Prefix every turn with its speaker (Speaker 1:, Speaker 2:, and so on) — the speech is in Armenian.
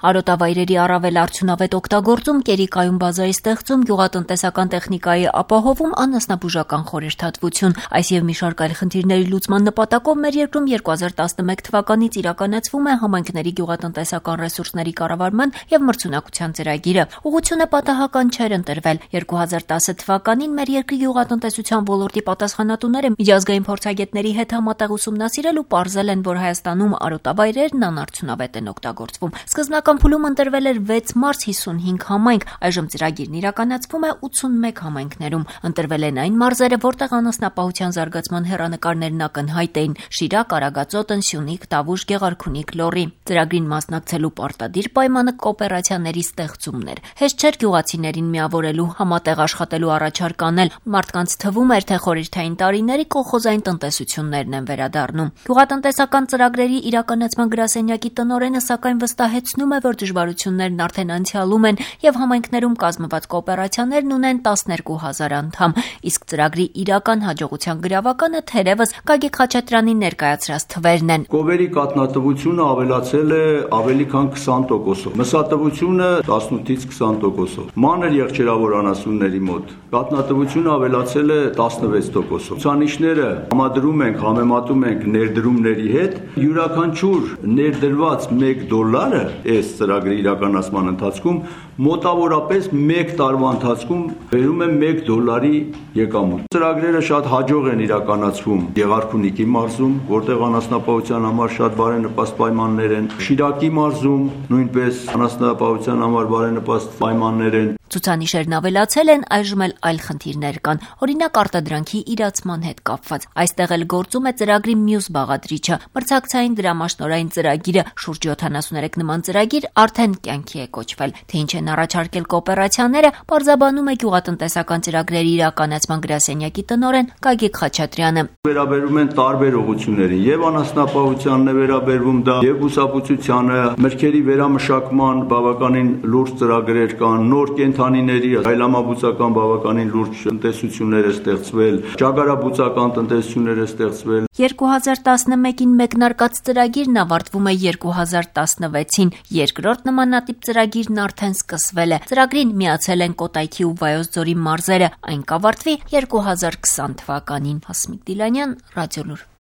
Speaker 1: Արոտավայրերի առավել արդյունավետ օգտագործում, կերիկայում բազայի ստեղծում, գյուղատնտեսական տեխնիկայի ապահովում, անասնաբուժական խորհրդատվություն։ Այս եւ մի շարք այլ խնդիրների լուծման նպատակով մեր երկրում 2011 թվականից իրականացվում է համայնքների գյուղատնտեսական ռեսուրսների կառավարման եւ մրցունակության ծրագիրը։ Ուղղությունը պատահական չէր ընտրվել։ 2010 թվականին մեր երկրի գյուղատնտեսության ոլորտի պատասխանատուները միջազգային փորձագետների հետ համատեղ ուսումնասիրել ու պարզել են, որ Հայաստանում արոտավայրերն անարդյունավետ են օգտագործվում։ Սկզբնական փուլում ընտրվել էր 6 մարզ 55 համայնք, այժմ ծրագիրն իրականացվում է 81 համայնքներում։ Ընտրվել են այն մարզերը, որտեղ անասնապահության զարգացման հեռանկարներն ակնհայտ էին՝ Շիրակ, Արագածոտ, Սյունիք, Տավուշ, Գեղարքունիք, Լոռի։ Ծրագրին մասնակցելու պարտադիր պայմանը կոոպերացիաների ստեղծումն էր։ Հեշտ չէր գյուղացիներին միավորելու, համատեղ աշխատելու առաջարկ անել։ Մարդկանց թվում էր, թե խորհրդային տարիների կոլխոզային տնտեսություններն են վերադառնում։ Գյուղատնտեսական ծրագրերի իրականացման գրասենյակի տնօրենը սակայն վստահեցնում է, որ դժվարություններն արդեն անցյալում են եւ համայնքներում կազմված կոոպերացիաներն ունեն 12,000 անդամ, իսկ ծրագրի իրական հաջողության գրավականը թերևս Գագիկ Խաչատրյանի ներկայացրած թվերն են։
Speaker 2: Կովերի կատնատվությունը ավելացել է ավելի քան 20%-ով, մսատվությունը 18-ից 20%-ով, մանր եղջերավոր անասունների մոտ կատնատվությունը ավելացել է 16%-ով։ Ցուցանիշները համադրում ենք, համեմատում ենք ներդրումների հետ, յուրաքանչյուր ներդրված $1 այս ծրագրի իրականացման ընթացքում մոտավորապես 1 տարվա ընթացքում բերում է $1 եկամուտ։ Ծրագրերը շատ հաջող են իրականացվում Գեղարքունիքի մարզում, որտեղ անասնապահության համար շատ բարենպաստ պայմաններ են, Շիրակի մարզում նույնպես անասնապահության համար բարենպաստ պայմաններ են։
Speaker 1: Ցուցանիշերն ավելացել են, այժմ էլ այլ խնդիրներ կան, օրինակ արտադրանքի իրացման հետ կապված։ Այստեղ էլ գործում է ծրագրի մյուս բաղադրիչը՝ մրցակցային դրամաշնորհային ծրագիրը։ Շուրջ 73 նման ծրագիր արդեն կյանքի է կոչվել։ Թե ինչ են առաջարկել կոոպերացիաները, պարզաբանում է գյուղատնտեսական ծրագրերի իրականացման գրասենյակի տնօրեն Գագիկ Խաչատրյանը։
Speaker 2: Վերաբերում են տարբեր ուղղություններին, եւ անասնապահությանն է վերաբերվում դա, եւ բուսաբուծությանը, մրգերի վերամշակման բավականին լուրջ ծրագրեր կան, նոր կենդանիների այլամաբուծական բավականին լուրջ տնտեսություններ է ստեղծվել, ճագարաբուծական տնտեսություններ է ստեղծվել։
Speaker 1: 2011-ին մեկնարկած ծրագիրն ավարտվում է 2016-ին, երկրորդ նմանատիպ ծրագիրն արդեն սկսվել է։ Ծրագրին միացել են Կոտայքի ու Վայոց ձորի մարզերը, այն կավարտվի 2020 թվականին։ Հասմիկ Դիլանյան, Ռադիոլուր։